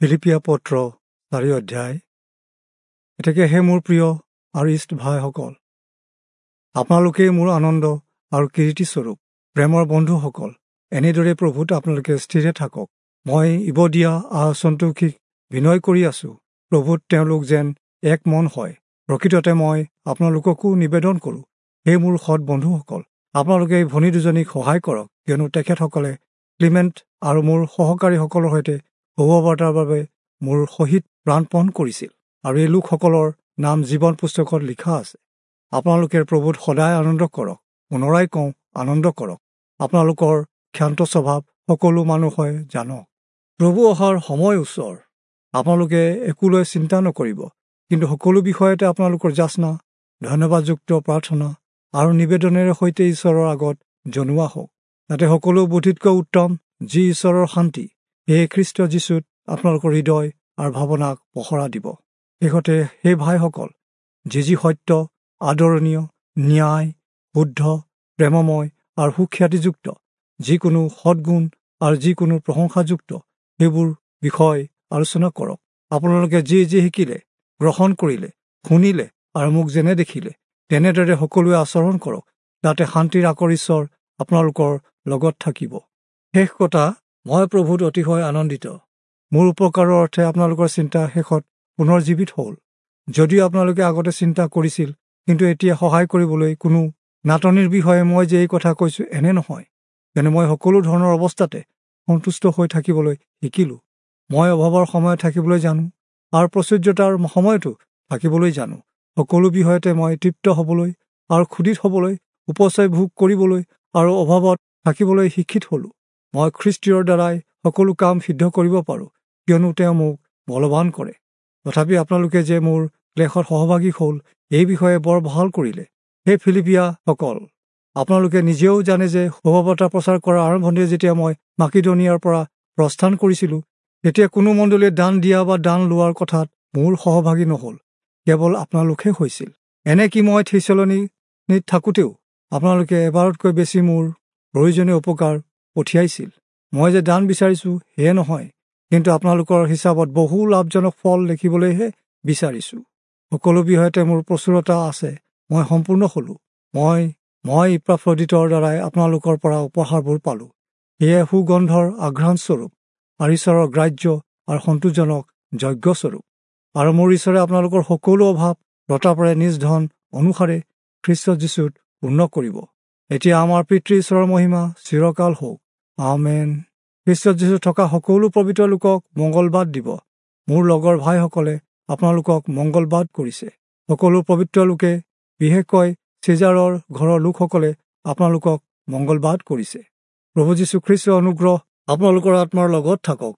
ফিলিপিয়া পত্ৰ 4 অধ্যায়। এতেকে হে মোৰ প্ৰিয় আৰু ইষ্ট ভাইসকল, আপোনালোকেই মোৰ আনন্দ আৰু কিৰীটিস্বৰূপ। প্ৰেমৰ বন্ধুসকল, এনেদৰে প্ৰভুত আপোনালোকে স্থিৰে থাকক। মই ইবদিয়া আৰু সন্তোষীক বিনয় কৰি আছো, প্ৰভুত তেওঁলোক যেন এক মন হয়। প্ৰকৃততে মই আপোনালোককো নিবেদন কৰোঁ, হে মোৰ সৎ বন্ধুসকল, আপোনালোকে এই ভনী দুজনীক সহায় কৰক, কিয়নো তেখেতসকলে ক্লিমেণ্ট আৰু মোৰ সহকাৰীসকলৰ সৈতে শুভবাৰ্তাৰ বাবে মোৰ সহিত প্ৰাণপণ কৰিছিল, আৰু এই লোকসকলৰ নাম জীৱন পুস্তকত লিখা আছে। আপোনালোকে প্ৰভুত সদায় আনন্দ কৰক। পুনৰাই কওঁ, আনন্দ কৰক। আপোনালোকৰ ক্ষান্ত স্বভাৱ সকলো মানুহে জানক। প্ৰভু অহাৰ সময় ওচৰ। আপোনালোকে একোলৈ চিন্তা নকৰিব, কিন্তু সকলো বিষয়তে আপোনালোকৰ যাচনা, ধন্যবাদযুক্ত প্ৰাৰ্থনা আৰু নিবেদনেৰে সৈতে ঈশ্বৰৰ আগত জনোৱা হওক, যাতে সকলো বুদ্ধিতকৈ উত্তম যি ঈশ্বৰৰ শান্তি, সেয়ে খ্ৰীষ্ট যীশুত আপোনালোকৰ হৃদয় আৰু ভাৱনাক পহৰা দিব। শেষতে সেই ভাইসকল, যি যি সত্য, আদৰণীয়, ন্যায়, শুদ্ধ, প্ৰেমময় আৰু সুখ্যাতিযুক্ত, যিকোনো সদ্গুণ আৰু যিকোনো প্ৰশংসাযুক্ত, সেইবোৰ বিষয় আলোচনা কৰক। আপোনালোকে যি যি শিকিলে, গ্ৰহণ কৰিলে, শুনিলে আৰু মোক যেনে দেখিলে, তেনেদৰে সকলোৱে আচৰণ কৰক, যাতে শান্তিৰ আকৰ ঈশ্বৰ আপোনালোকৰ লগত থাকিব। শেষ কথা, মই প্ৰভুত অতিশয় আনন্দিত। মোৰ উপকাৰৰ অৰ্থে আপোনালোকৰ চিন্তা শেষত পুনৰ জীৱিত হ'ল। যদিও আপোনালোকে আগতে চিন্তা কৰিছিল, কিন্তু এতিয়া সহায় কৰিবলৈ কোনো নাটনিৰ বিষয়ে মই যে এই কথা কৈছোঁ এনে নহয়, কিয়নো মই সকলো ধৰণৰ অৱস্থাতে সন্তুষ্ট হৈ থাকিবলৈ শিকিলোঁ। মই অভাৱৰ সময়ত থাকিবলৈ জানো আৰু প্ৰাচুৰ্যতাৰ সময়তো থাকিবলৈ জানো। সকলো বিষয়তে মই তৃপ্ত হ'বলৈ আৰু ক্ষুধিত হ'বলৈ, উপচয় ভোগ কৰিবলৈ আৰু অভাৱত থাকিবলৈ শিক্ষিত হ'লোঁ। মই খ্ৰীষ্টীয়ৰ দ্বাৰাই সকলো কাম সিদ্ধ কৰিব পাৰোঁ, কিয়নো তেওঁ মোক বলৱান কৰে। তথাপি আপোনালোকে যে মোৰ ক্লেশত সহভাগী হ'ল, এই বিষয়ে বৰ ভাল কৰিলে। হে ফিলিপিয়াসকল, আপোনালোকে নিজেও জানে যে শুভবাৰ্তা প্ৰচাৰ কৰাৰ আৰম্ভণিতে যেতিয়া মই মাকিদনিয়াৰ পৰা প্ৰস্থান কৰিছিলোঁ, তেতিয়া কোনো মণ্ডলীয়ে দান দিয়া বা দান লোৱাৰ কথাত মোৰ সহভাগী নহ'ল, কেৱল আপোনালোকহে হৈছিল। এনেকি মই থিচলনীত থাকোঁতেও আপোনালোকে এবাৰতকৈ বেছি মোৰ প্ৰয়োজনীয় উপকাৰ পঠিয়াইছিল। মই যে দান বিচাৰিছোঁ সেয়ে নহয়, কিন্তু আপোনালোকৰ হিচাপত বহু লাভজনক ফল দেখিবলৈহে বিচাৰিছোঁ। সকলো বিষয়তে মোৰ প্ৰচুৰতা আছে, মই সম্পূৰ্ণ হ'লোঁ। মই ইপাফ্ৰদিতৰ দ্বাৰাই আপোনালোকৰ পৰা উপহাৰবোৰ পালোঁ। সেয়ে সুগন্ধৰ আঘ্ৰাণস্বৰূপ আৰু ঈশ্বৰৰ গ্ৰাহ্য আৰু সন্তোষজনক যজ্ঞস্বৰূপ। আৰু মোৰ ঈশ্বৰে আপোনালোকৰ সকলো অভাৱ প্ৰতাপেৰে নিজ ধন অনুসাৰে খ্ৰীষ্ট যীশুত পূৰ্ণ কৰিব। এতিয়া আমাৰ পিতৃ ঈশ্বৰৰ মহিমা চিৰকাল হওক। আমেন। খ্ৰীষ্ট যীশুত থকা সকলো পবিত্ৰ লোকক মংগলবাদ দিব। মোৰ লগৰ ভাইসকলে আপোনালোকক মংগলবাদ কৰিছে। সকলো পবিত্ৰ লোকে, বিশেষকৈ চিজাৰৰ ঘৰৰ লোকসকলে আপোনালোকক মংগলবাদ কৰিছে। প্ৰভু যীশু খ্ৰীষ্টৰ অনুগ্ৰহ আপোনালোকৰ আত্মাৰ লগত থাকক।